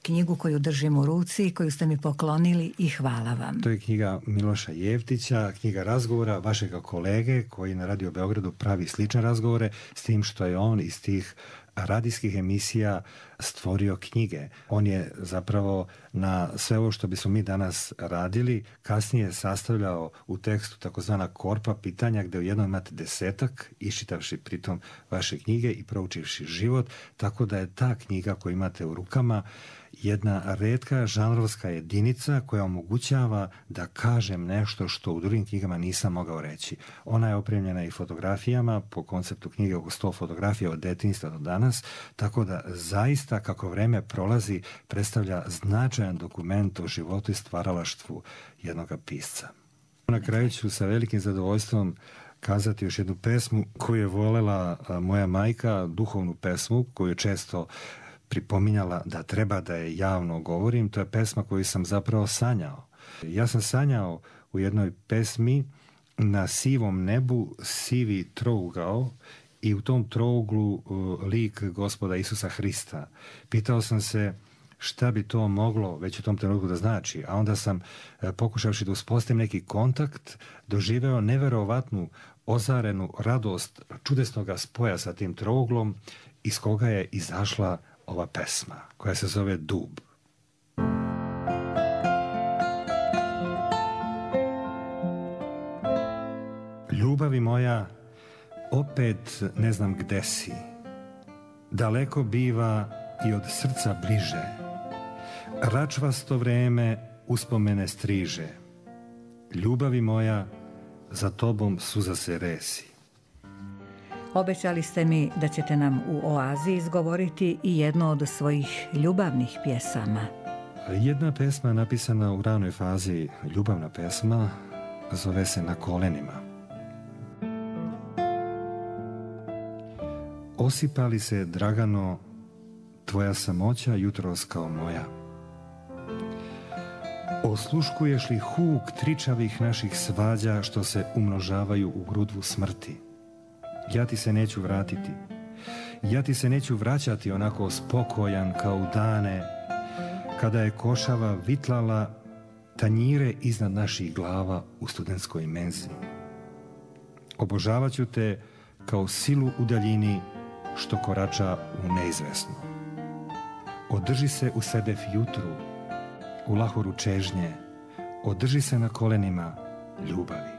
knjigu koju držim u ruci, koju ste mi poklonili, i hvala vam. To je knjiga Miloša Jevtića, knjiga razgovora vašega kolege koji na Radio Beogradu pravi slične razgovore, s tim što je on iz tih radijskih emisija stvorio knjige. On je zapravo na sve ovo što bismo mi danas radili kasnije sastavljao u tekstu takozvana korpa pitanja, gdje u jednom imate 10-ak, iščitavši pritom vaše knjige i proučivši život, tako da je ta knjiga koju imate u rukama jedna retka žanrovska jedinica koja omogućava da kažem nešto što u drugim knjigama nisam mogao reći. Ona je opremljena i fotografijama, po konceptu knjige oko 100 fotografija od detinjstva do danas, tako da zaista kako vreme prolazi predstavlja značajan dokument o životu i stvaralaštvu jednog pisca. Na kraju ću sa velikim zadovoljstvom kazati još jednu pesmu koju je volela moja majka, duhovnu pesmu koju često pripominjala da treba da je javno govorim. To je pesma koju sam zapravo sanjao. Ja sam sanjao u jednoj pesmi na sivom nebu sivi trougao i u tom trouglu lik Gospoda Isusa Hrista. Pitao sam se šta bi to moglo već u tom trenutku da znači, a onda sam, pokušavši da uspostavim neki kontakt, doživeo neverovatnu ozarenu radost čudesnog spoja sa tim trouglom, iz koga je izašla ova pesma, koja se zove Dub. Ljubavi moja, opet ne znam gde si, daleko biva i od srca bliže, račvasto vreme uspomene striže, ljubavi moja, za tobom suza se resi. Obećali ste mi da ćete nam u Oazi izgovoriti i jednu od svojih ljubavnih pjesama. Jedna pesma napisana u ranoj fazi, ljubavna pesma, zove se Na kolenima. Osipali se, Dragano, tvoja samoća jutros kao moja. Osluškuješ li huk tričavih naših svađa što se umnožavaju u grudvu smrti? Ja ti se neću vratiti. Ja ti se neću vraćati onako spokojan kao u dane kada je košava vitlala tanjire iznad naših glava u studentskoj menzi. Obožavat ću te kao silu u daljini što korača u neizvesno. Održi se u sedef jutru, u lahoru čežnje, održi se na kolenima ljubavi.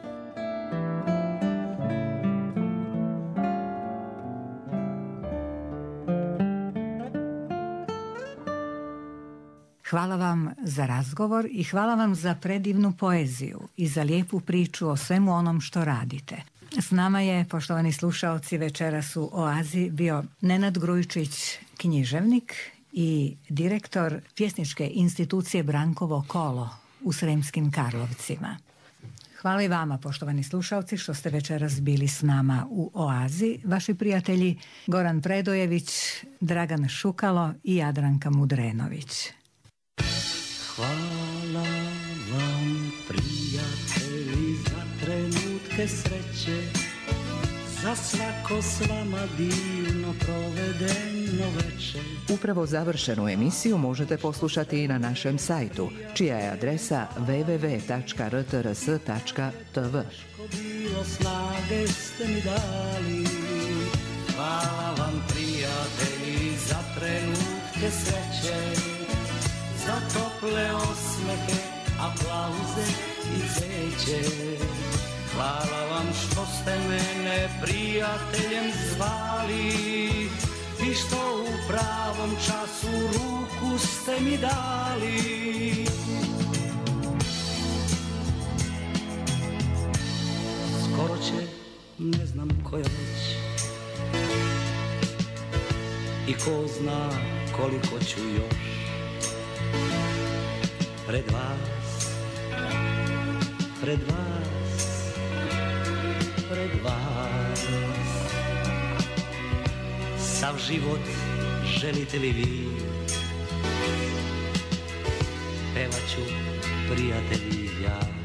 Hvala vam za razgovor i hvala vam za predivnu poeziju i za lijepu priču o svemu onom što radite. S nama je, poštovani slušaoci, večeras u Oazi bio Nenad Grujičić, književnik i direktor pjesničke institucije Brankovo kolo u Sremskim Karlovcima. Hvala i vama, poštovani slušaoci, što ste večeras bili s nama u Oazi. Vaši prijatelji Goran Predojević, Dragan Šukalo i Jadranka Mudrenović. Hvala vam, prijatelji, za trenutke sreće, za svako s vama divno provedeno večer. Upravo završenu emisiju možete poslušati i na našem sajtu, čija je adresa www.rtrs.tv. Bilo snage ste mi dali. Hvala vam, prijatelji, za trenutke sreće, za tople osmehe, aplauze i cveće. Hvala vam što ste mene prijateljem zvali i što u pravom času ruku ste mi dali. Skoro će, ne znam koja već, i ko zna koliko ću još pred vas, pred vas, pred vas. Sav život želite li vi, pevat ću, prijatelji, ja.